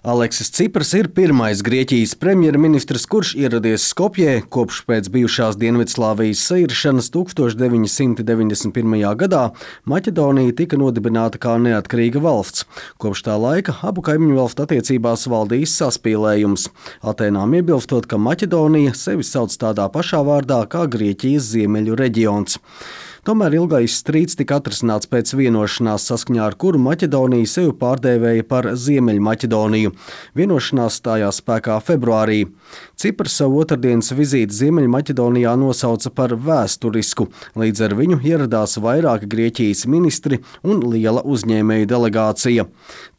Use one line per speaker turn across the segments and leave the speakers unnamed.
Aleksis Cipras ir pirmais Grieķijas premjerministrs, kurš ieradies Skopjē kopš pēc bijušās Dienvidslāvijas sairšanas 1991. gadā. Maķedonija tika nodibināta kā neatkarīga valsts. Kopš tā laika abu kaimiņu valstu attiecībās valdījis saspīlējums. Atēnām iebilstot, ka Maķedonija sevi sauc tādā pašā vārdā kā Grieķijas ziemeļu reģions. Tomēr ilgais strīds tika atrisināts pēc vienošanās, saskaņā ar kuru Maķedonija sevi pārdēvēja par Ziemeļmaķedoniju. Vienošanās stājās spēkā februārī. Cipras savu otrdienas vizīti Ziemeļmaķedonijā nosauca par vēsturisku. Līdz ar viņu ieradās vairāki Grieķijas ministri un liela uzņēmēju delegācija.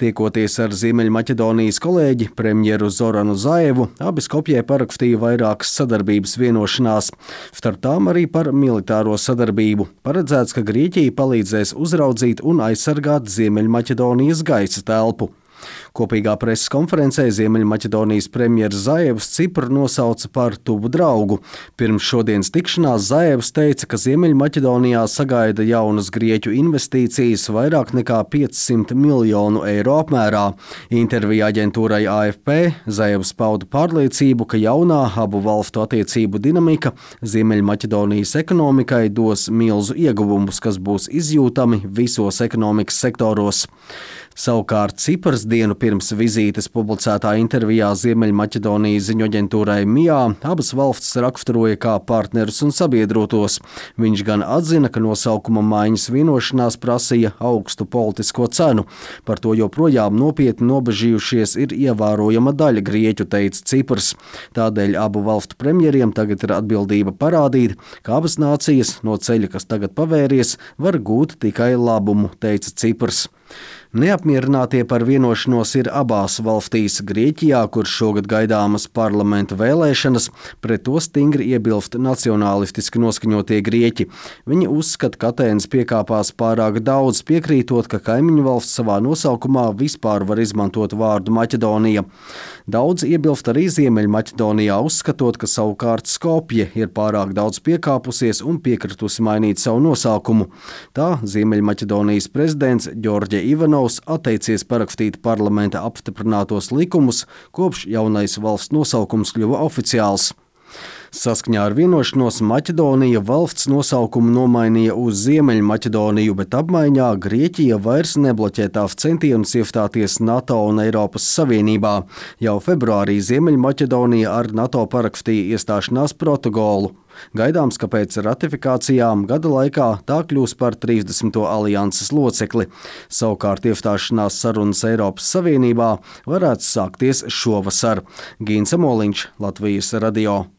Tiekoties ar Ziemeļmaķedonijas kolēģi, premjeru Zoranu Zaevu, abi Skopjē parakstīja vairākas sadarbības vienošanās, starp tām arī par militāro sadarbību. Paredzēts, ka Grieķija palīdzēs uzraudzīt un aizsargāt Ziemeļmaķedonijas gaisa telpu. Kopīgā preses konferencē Ziemeļmaķedonijas premjeras Zaevs Cipru nosauca par tuvu draugu. Pirms šodienas tikšanās Zaevs teica, ka Ziemeļmaķedonijā sagaida jaunas grieķu investīcijas vairāk nekā 500 miljonu eiro apmērā. Intervijā aģentūrai AFP Zaevs pauda pārliecību, ka jaunā abu valstu attiecību dinamika Ziemeļmaķedonijas ekonomikai dos milzu ieguvumus, kas būs izjūtami visos ekonomikas sektoros. Savukārt Cipras dienu pirms vizītes publicētā intervijā Ziemeļmaķedonijas ziņu aģentūrai MIA abas valstis raksturoja kā partnerus un sabiedrotos. Viņš gan atzina, ka nosaukuma maiņas vienošanās prasīja augstu politisko cenu. Par to joprojām nopietni nobežījušies ir ievērojama daļa grieķu, teica Ciprs. Tādēļ abu valstu premjeriem tagad ir atbildība parādīt, ka abas nācijas no ceļa, kas tagad pavēries, var gūt tikai labumu, teica Ciprs. Neapmierinātie par vienošanos ir abās valstīs. Grieķijā, kur šogad gaidāmas parlamenta vēlēšanas, pret to stingri iebilst nacionālistiski noskaņotie grieķi. Viņi uzskata, ka Atēnas piekāpās pārāk daudz, piekrītot, ka kaimiņu valsts savā nosaukumā vispār var izmantot vārdu Maķedonija. Daudz iebilst arī Ziemeļmaķedonijā, uzskatot, ka savukārt Skopje ir pārāk daudz piekāpusies un piekritusi mainīt savu nosaukumu. Tā Ziemeļmaķedonijas prezidents Ģorģe Ivanovs atteicies parakstīt parlamenta apstiprinātos likumus, kopš jaunais valsts nosaukums kļuva oficiāls. Saskaņā ar vienošanos Maķedonija valsts nosaukumu nomainīja uz Ziemeļmaķedoniju, bet apmaiņā Grieķija vairs nebloķē tās centienus iestāties NATO un Eiropas Savienībā. Jau februārī Ziemeļmaķedonija ar NATO parakstīja iestāšanās protokolu. Gaidāms, ka pēc ratifikācijām gada laikā tā kļūs par 30. alianses locekli. Savukārt iestāšanās sarunas Eiropas Savienībā varētu sākties šovasar. Gīns Amoliņš, Latvijas radio.